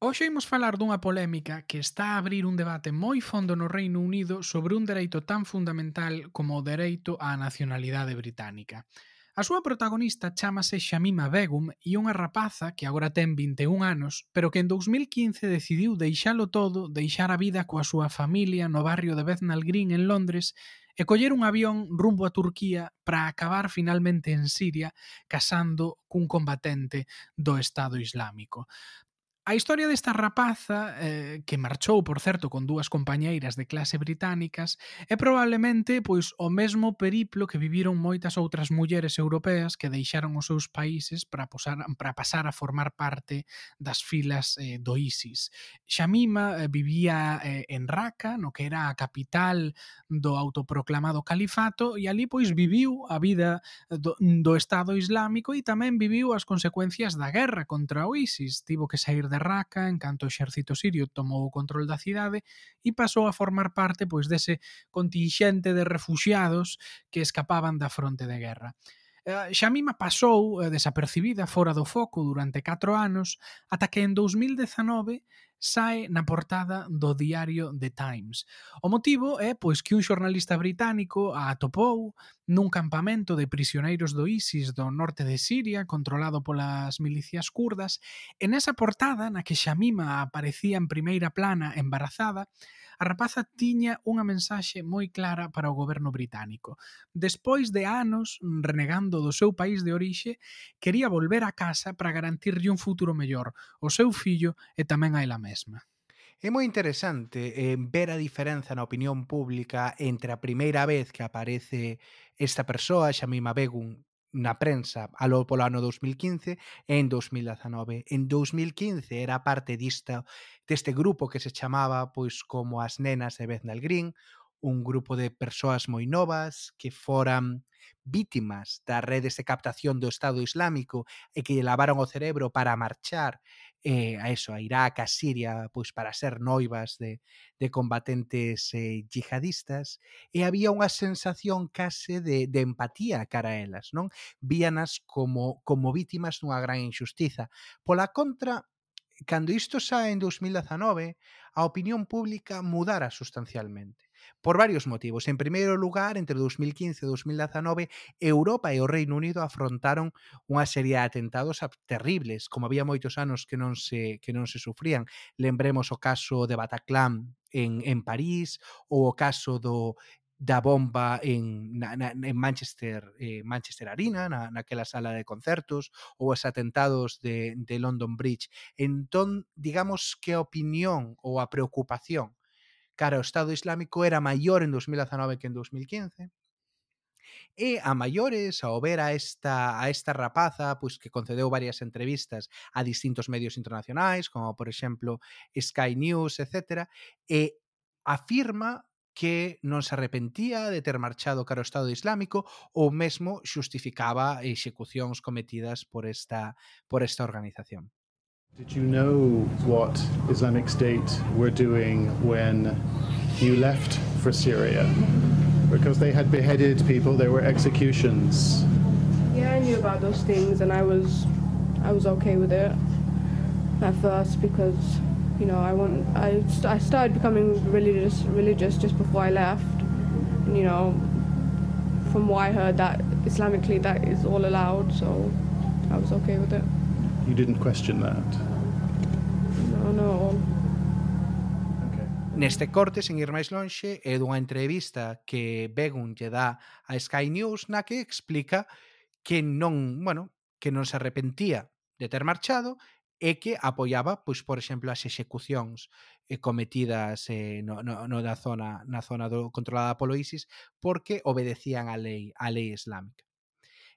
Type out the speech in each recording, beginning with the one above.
Hoxe imos falar dunha polémica que está a abrir un debate moi fondo no Reino Unido sobre un dereito tan fundamental como o dereito á nacionalidade británica. A súa protagonista chámase Shamima Begum e unha rapaza que agora ten 21 anos, pero que en 2015 decidiu deixalo todo, deixar a vida coa súa familia no barrio de Bethnal Green en Londres e coller un avión rumbo a Turquía para acabar finalmente en Siria casando cun combatente do Estado Islámico. A historia desta rapaza, que marchou, por certo, con dúas compañeiras de clase británicas, é probablemente pois o mesmo periplo que viviron moitas outras mulleres europeas que deixaron os seus países para pasar a formar parte das filas do ISIS. Shamima vivía en Raqqa, no que era a capital do autoproclamado califato, e ali pois viviu a vida do Estado Islámico e tamén viviu as consecuencias da guerra contra o ISIS. Tivo que sair de Raqqa en canto o exército sirio tomou o control da cidade e pasou a formar parte pois dese contingente de refuxiados que escapaban da fronte de guerra. Shamima pasou desapercibida fora do foco durante 4 anos ata que en 2019 sae na portada do diario The Times. O motivo é pois que un xornalista británico a atopou nun campamento de prisioneiros do ISIS do norte de Siria, controlado polas milicias kurdas, e nesa portada na que Shamima aparecía en primeira plana embarazada, a rapaza tiña unha mensaxe moi clara para o goberno británico. Despois de anos renegando do seu país de orixe, quería volver a casa para garantirlle un futuro mellor ao seu fillo e tamén a ela mesma. É moi interesante ver a diferenza na opinión pública entre a primeira vez que aparece esta persoa, Shamima Begum, na prensa polo ano 2015 e en 2019. En 2015 era parte deste grupo que se chamaba pois como as nenas de Bethnal Green, un grupo de persoas moi novas que foran vítimas das redes de captación do Estado Islámico e que lle lavaron o cerebro para marchar a eso, a Irak, a Siria, pois para ser noivas de combatentes yihadistas, e había unha sensación case de empatía cara a elas, non? Víanas como vítimas dunha gran injustiza. Pola contra, cando isto sae en 2019, a opinión pública mudara sustancialmente. Por varios motivos. En primeiro lugar, entre 2015 e 2019, Europa e o Reino Unido afrontaron unha serie de atentados terribles, como había moitos anos que non se sufrían. Lembremos o caso de Bataclan en París, ou o caso da bomba en Manchester Arena, naquela sala de concertos, ou os atentados de London Bridge. Entón, digamos que a opinión ou a preocupación cara ao Estado Islámico era maior en 2019 que en 2015. E a maiores, ao ver a esta rapaza, pois que concedeu varias entrevistas a distintos medios internacionais, como por exemplo Sky News, etcétera, e afirma que non se arrepentía de ter marchado cara ao Estado Islámico ou mesmo xustificaba execucións cometidas por esta organización. Did you know what Islamic State were doing when you left for Syria? Because they had beheaded people, there were executions. Yeah, I knew about those things, and I was okay with it at first because I started becoming religious just before I left. And, from what I heard, that Islamically that is all allowed, so I was okay with it. You didn't question that. No, no. Okay. Neste corte, sen ir máis lonxe, é dunha entrevista que Begum lle dá a Sky News na que explica que non se arrepentía de ter marchado e que apoiaba, pois, por exemplo, as execucións cometidas na zona controlada polo ISIS porque obedecían a lei islámica.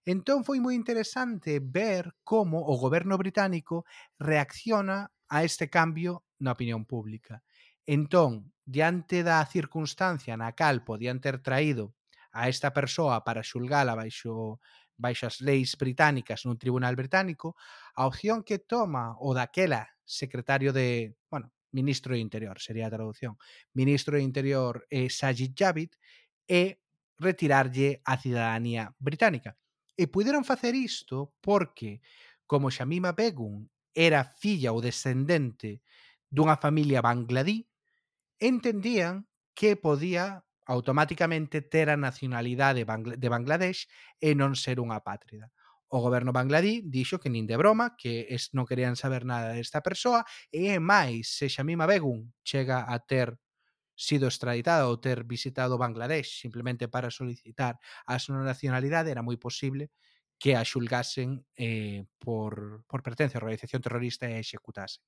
Entón foi moi interesante ver como o goberno británico reacciona a este cambio na opinión pública. Entón, diante da circunstancia na cal podían ter traído a esta persoa para xulgala baixo as leis británicas nun tribunal británico, a opción que toma o daquela secretario ministro de Interior, sería a traducción, ministro de Interior Sajid Javid, é retirarlle a cidadanía británica. E puderon facer isto porque, como Shamima Begum era filla ou descendente dunha familia bangladí, entendían que podía automáticamente ter a nacionalidade de Bangladesh e non ser unha apátrida. O goberno bangladí dixo que nin de broma, que non querían saber nada desta persoa, e máis, se Shamima Begum chega a ter sido extraditada ou ter visitado Bangladesh simplemente para solicitar a súa nacionalidade, era moi posible que a xulgasen por pertenencia a organización terrorista e a executase.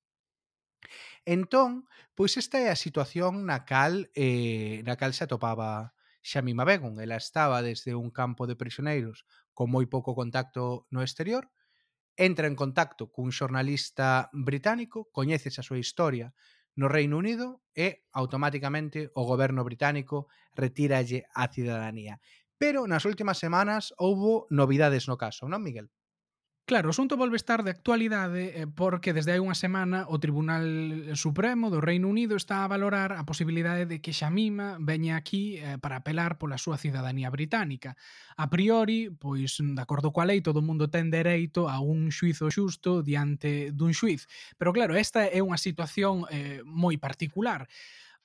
Entón, pois esta é a situación na cal se atopaba Shamima Begum. Ela estaba desde un campo de prisioneiros con moi pouco contacto no exterior, entra en contacto cun xornalista británico, coñeces a súa historia no Reino Unido e automáticamente o goberno británico retíralle a cidadanía. Pero nas últimas semanas houbo novidades no caso, non, Miguel? Claro, o asunto volve estar de actualidade porque desde hai unha semana o Tribunal Supremo do Reino Unido está a valorar a posibilidade de que Shamima veña aquí para apelar pola súa cidadanía británica. A priori, pois, de acordo coa lei, todo o mundo ten dereito a un xuizo xusto diante dun xuiz. Pero claro, esta é unha situación moi particular.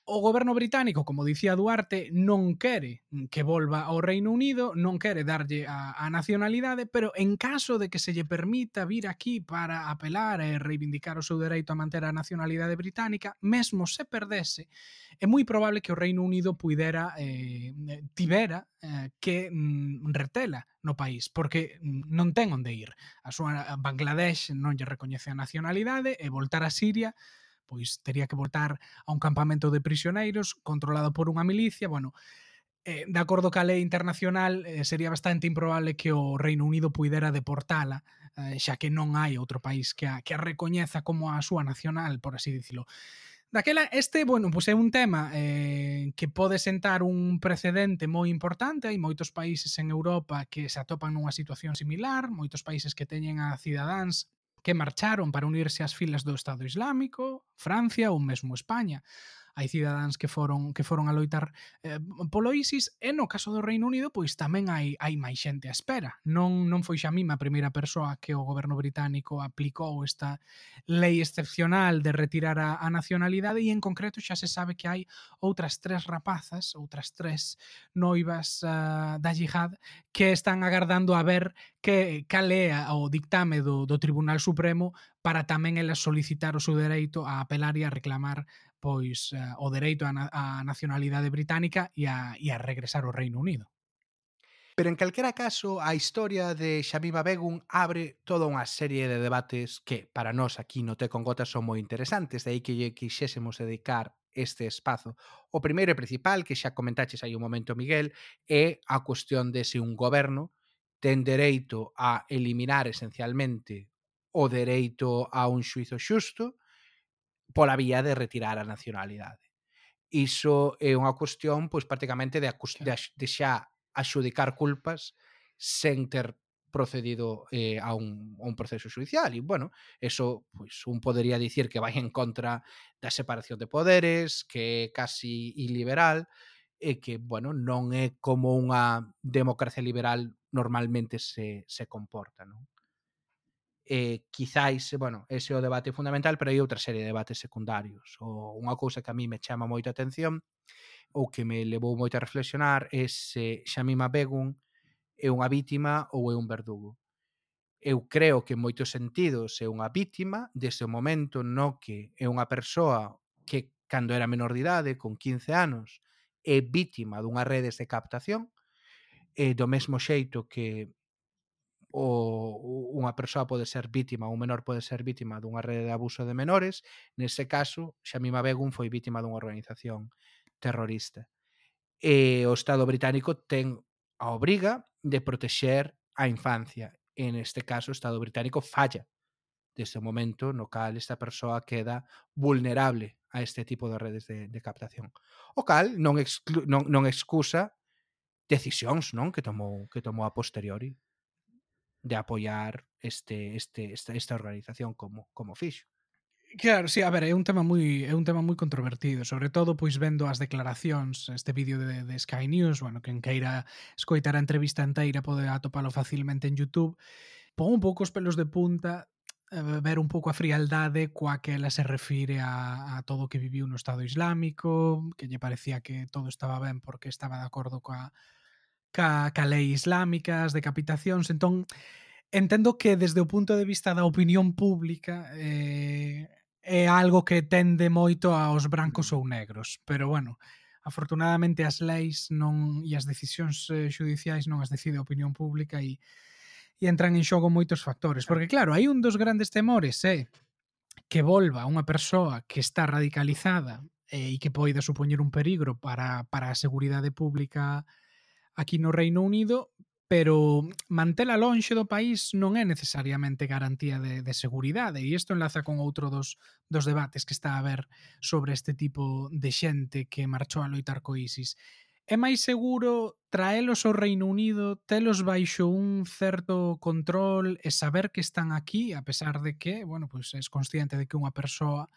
O goberno británico, como dicía Duarte, non quere que volva ao Reino Unido, non quere darlle a nacionalidade, pero en caso de que se lle permita vir aquí para apelar e reivindicar o seu dereito a manter a nacionalidade británica, mesmo se perdese, é moi probable que o Reino Unido tivera que retela no país, porque non ten onde ir. A súa Bangladesh non lle recoñece a nacionalidade e voltar a Siria pois tería que voltar a un campamento de prisioneiros controlado por unha milicia, bueno, de acordo ca lei internacional sería bastante improbable que o Reino Unido puidera deportala, xa que non hai outro país que a recoñeza como a súa nacional, por así dicilo. Daquela, bueno, pois é un tema que pode sentar un precedente moi importante. Hai moitos países en Europa que se atopan nunha situación similar, moitos países que teñen a cidadáns que marcharon para unirse ás filas do Estado Islámico, Francia ou mesmo España. Hai cidadáns que foron a loitar polo ISIS e no caso do Reino Unido pois tamén hai máis xente á espera. Non foi Shamima a primeira persoa que o goberno británico aplicou esta lei excepcional de retirar a nacionalidade e en concreto xa se sabe que hai outras 3 rapazas, outras 3 noivas da Jihad que están agardando a ver cal é o dictame do Tribunal Supremo para tamén elas solicitar o seu dereito a apelar e a reclamar pois o dereito á nacionalidade británica e a regresar ao Reino Unido. Pero en calquera caso, a historia de Shamima Begum abre toda unha serie de debates que para nós aquí no Té con Gotas son moi interesantes, de aí que lle quixésemos dedicar este espazo. O primeiro e principal, que xa comentaches aí un momento, Miguel, é a cuestión de se un goberno ten dereito a eliminar esencialmente o dereito a un xuizo xusto pola vía de retirar a nacionalidade. Iso é unha cuestión pois prácticamente de xa axudicar culpas sen ter procedido a un proceso xudicial. E, bueno, eso pois un podería dicir que vai en contra da separación de poderes, que é casi iliberal, e que, bueno, non é como unha democracia liberal normalmente se comporta, non? Quizáis, bueno, ese é o debate fundamental, pero hai outra serie de debates secundarios. Unha cousa que a mí me chama moita atención ou que me levou moito a reflexionar é se Shamima Begum é unha vítima ou é un verdugo. Eu creo que en moitos sentidos é unha vítima desde o momento no que é unha persoa que cando era menor de idade, con 15 anos, é vítima dunhas redes de captación, do mesmo xeito que unha persoa pode ser vítima, un menor pode ser vítima dunha rede de abuso de menores. Nese caso, Shamima Begum foi vítima dunha organización terrorista. E o Estado británico ten a obriga de protexer a infancia. En este caso, o Estado británico falla desde o momento no cal esta persoa queda vulnerable a este tipo de redes de captación. O cal non excusa decisións, non, que tomou a posteriori de apoiar esta organización como fixo. Claro, sí, a ver, é un tema moi controvertido, sobre todo pois vendo as declaracións, este vídeo de Sky News, bueno, quen queira escoitar a entrevista enteira pode atopalo facilmente en YouTube. Pon un pouco os pelos de punta ver un pouco a frialdade coa que ela se refire a todo o que viviu no Estado Islámico, que lle parecía que todo estaba ben porque estaba de acordo ca lei islámica, as decapitacións. Entón, entendo que desde o punto de vista da opinión pública é algo que tende moito aos brancos ou negros, pero bueno, afortunadamente as leis non e as decisións xudiciais non as decide a opinión pública e entran en xogo moitos factores, porque claro, hai un dos grandes temores que volva unha persoa que está radicalizada e que poida supoñer un perigro para a seguridade pública aquí no Reino Unido, pero mantela lonxe do país non é necesariamente garantía de seguridade, e isto enlaza con outro dos debates que está a haber sobre este tipo de xente que marchou a loitar co ISIS. É máis seguro traelos ao Reino Unido, telos baixo un certo control e saber que están aquí, a pesar de que, bueno, pois és consciente de que unha persoa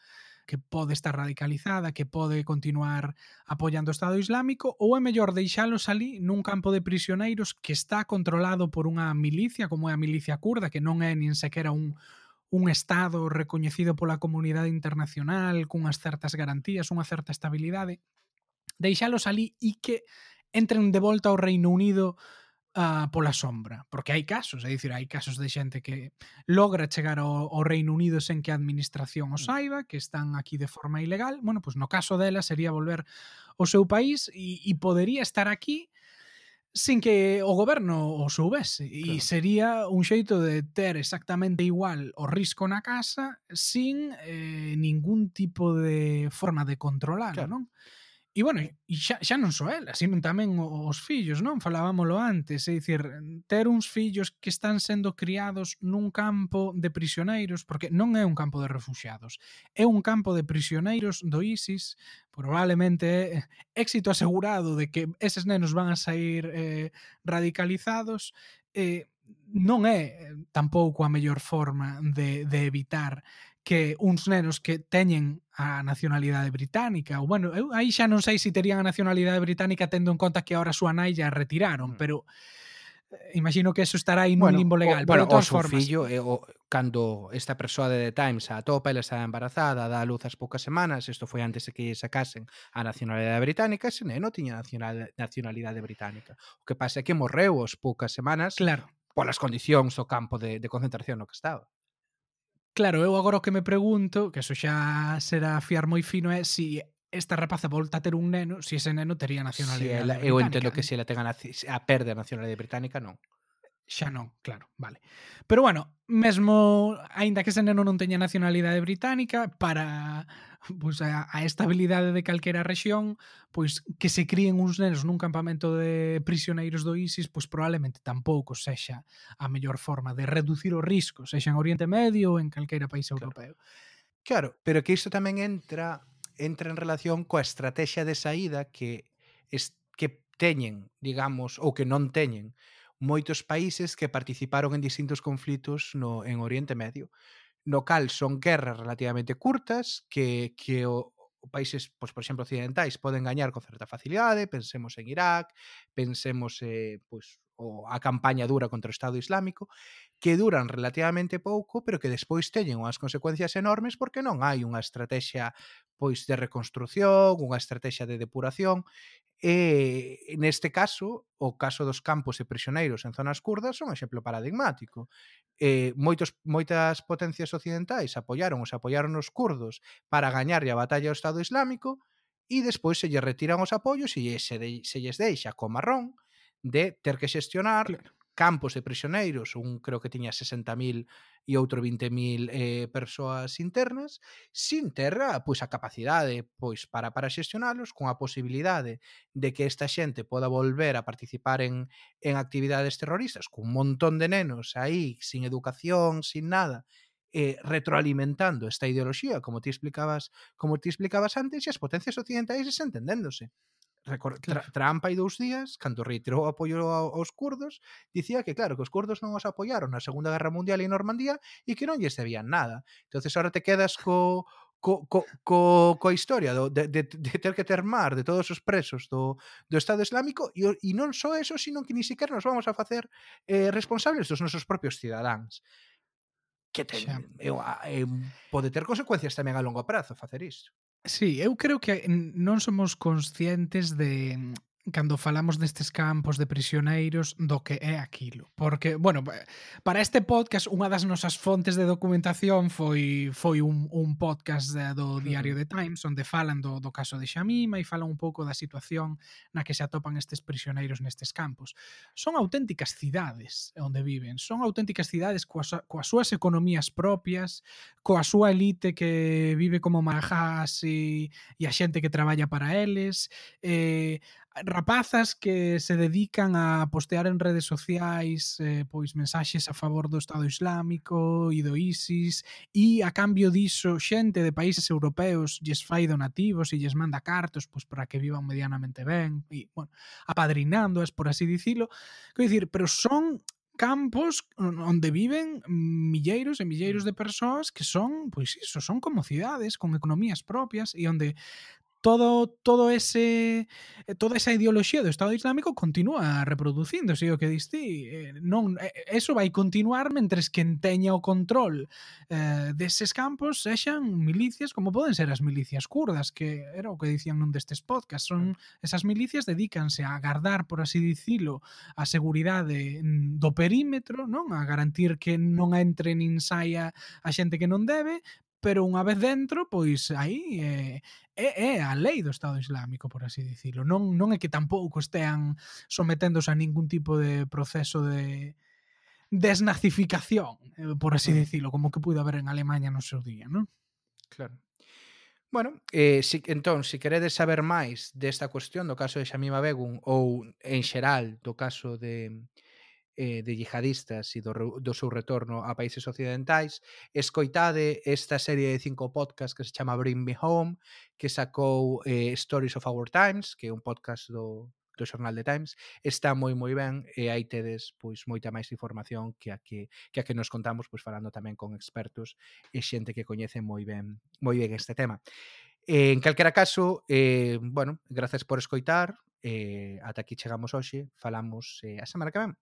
que pode estar radicalizada, que pode continuar apoiando o Estado Islámico, ou é mellor deixalos ali nun campo de prisioneiros que está controlado por unha milicia, como é a milicia kurda, que non é nin sequera un Estado recoñecido pola comunidade internacional, cunhas certas garantías, unha certa estabilidade, deixalos ali e que entren de volta ao Reino Unido pola sombra, porque hai casos, é dicir, hai casos de xente que logra chegar ao Reino Unido sen que a administración o saiba, que están aquí de forma ilegal. Bueno, pois no caso dela sería volver ao seu país e podería estar aquí sin que o goberno o soubese. E sería un xeito de ter exactamente igual o risco na casa sin ningún tipo de forma de controlalo, non? E bueno, e xa non só ela, sino tamén os fillos, non? Falábamolo antes, é dicir, ter uns fillos que están sendo criados nun campo de prisioneiros, porque non é un campo de refuxiados, é un campo de prisioneiros do ISIS, probablemente éxito asegurado de que eses nenos van a sair radicalizados, non é tampouco a mellor forma de evitar que uns nenos que teñen a nacionalidade británica, ou bueno, eu aí xa non sei se terían a nacionalidade británica tendo en conta que agora a súa nai ya retiraron, pero imagino que eso estará aí nun limbo legal, pero de o todas seu formas, fillo, cando esta persoa de The Times a atopa, ela estaba embarazada, dá a luz ás poucas semanas, isto foi antes de que lle sacasen a nacionalidade británica, ese neno tiña nacionalidade británica. O que pasa é que morreu aos poucas semanas claro. polas condicións do campo de concentración no que estaba. Claro, eu agora o que me pregunto, que eso xa será fiar moi fino, é si esta rapaza volta a ter un neno, si ese neno tería nacionalidade Eu británica. entendo que se ela perde a nacionalidade británica, non. Xa non, claro, vale. Pero bueno, mesmo aínda que ese neno non teña nacionalidade británica, para pois a estabilidade de calquera rexión, pois que se críen uns nenos nun campamento de prisioneiros do ISIS, pois probablemente tampouco sexa a mellor forma de reducir o risco, sexa en Oriente Medio ou en calquera país europeo. Claro, pero que isto tamén entra en relación coa estrategia de saída que teñen, digamos, ou que non teñen moitos países que participaron en distintos conflitos en Oriente Medio, no cal son guerras relativamente curtas que o países, pois, por exemplo, occidentais poden gañar con certa facilidade, pensemos en Irak, pensemos pois, a campaña dura contra o Estado Islámico, que duran relativamente pouco, pero que despois teñen unhas consecuencias enormes porque non hai unha estrategia pois de reconstrución, unha estrategia de depuración. Neste caso, o caso dos campos e prisioneiros en zonas kurdas son un exemplo paradigmático. Moitas potencias occidentais apoiaron os kurdos para gañarlle a batalla ao Estado Islámico e despois se lle retiran os apoios e se lles deixa co marrón de ter que xestionar Claro. campos de prisioneiros, un creo que tiña 60.000 e outro 20.000 persoas internas, sin ter pois, a capacidade pois, para xestionalos, con a posibilidade de que esta xente poda volver a participar en actividades terroristas, cun montón de nenos aí, sin educación, sin nada, retroalimentando esta ideoloxía, como ti explicabas antes, e as potencias occidentais desentendéndose. Claro. Trump hai 2 días, cando reiterou o apoio aos kurdos, dicía que claro, que os kurdos non os apoiaron na Segunda Guerra Mundial en Normandía e que non lles debían nada. Entonces ahora te quedas coa historia de ter que ter mar de todos os presos do Estado Islámico e non só eso, sino que ni siquiera nos vamos a facer responsables dos nosos propios cidadáns. que Xa. pode ter consecuencias tamén a longo prazo facer isto. Sí, eu creo que non somos conscientes de cando falamos destes campos de prisioneiros do que é aquilo. Porque, bueno, para este podcast unha das nosas fontes de documentación foi un podcast do diario The Times onde falan do caso de Xamima e falan un pouco da situación na que se atopan estes prisioneiros nestes campos. Son auténticas cidades onde viven, son auténticas cidades coas súas economías propias, coa súa elite que vive como marajás e a xente que traballa para eles, rapazas que se dedican a postear en redes sociais pois mensaxes a favor do Estado Islámico e do ISIS e a cambio diso xente de países europeos lles fai donativos e lles manda cartos pois para que vivan medianamente ben e, bueno, apadrinándoas, por así dicilo. Quero dicir, pero son campos onde viven milleiros e milleiros de persoas que son, pois iso, son como cidades con economías propias e onde todo ese toda esa ideoloxía do Estado Islámico continúa reproducíndose, o que dis ti, non eso vai continuar mentres quen teña o control deses campos sexan milicias como poden ser as milicias kurdas, que era o que dicían nun destes podcasts, son esas milicias dedícanse a gardar, por así dicilo, a seguridade do perímetro, non? A garantir que non entre nin saia a xente que non debe, pero unha vez dentro, pois aí é a lei do Estado Islámico, por así dicilo. Non é que tampouco estean someténdose a ningún tipo de proceso de desnazificación, por así dicilo, como que puido haber en Alemaña no seu día, non? Claro. Bueno, si queredes saber máis desta cuestión do caso de Shamima Begum ou en xeral do caso de yihadistas e do seu retorno a países occidentais, escoitade esta serie de 5 podcasts que se chama Bring Me Home, que sacou Stories of Our Times, que é un podcast do xornal The Times. Está moi ben e aí tedes pois moita máis información que a que nos contamos, pois falando tamén con expertos e xente que coñece moi ben este tema. En calquera caso, bueno, gracias por escoitar, ata aquí chegamos hoxe, falamos a semana que ven.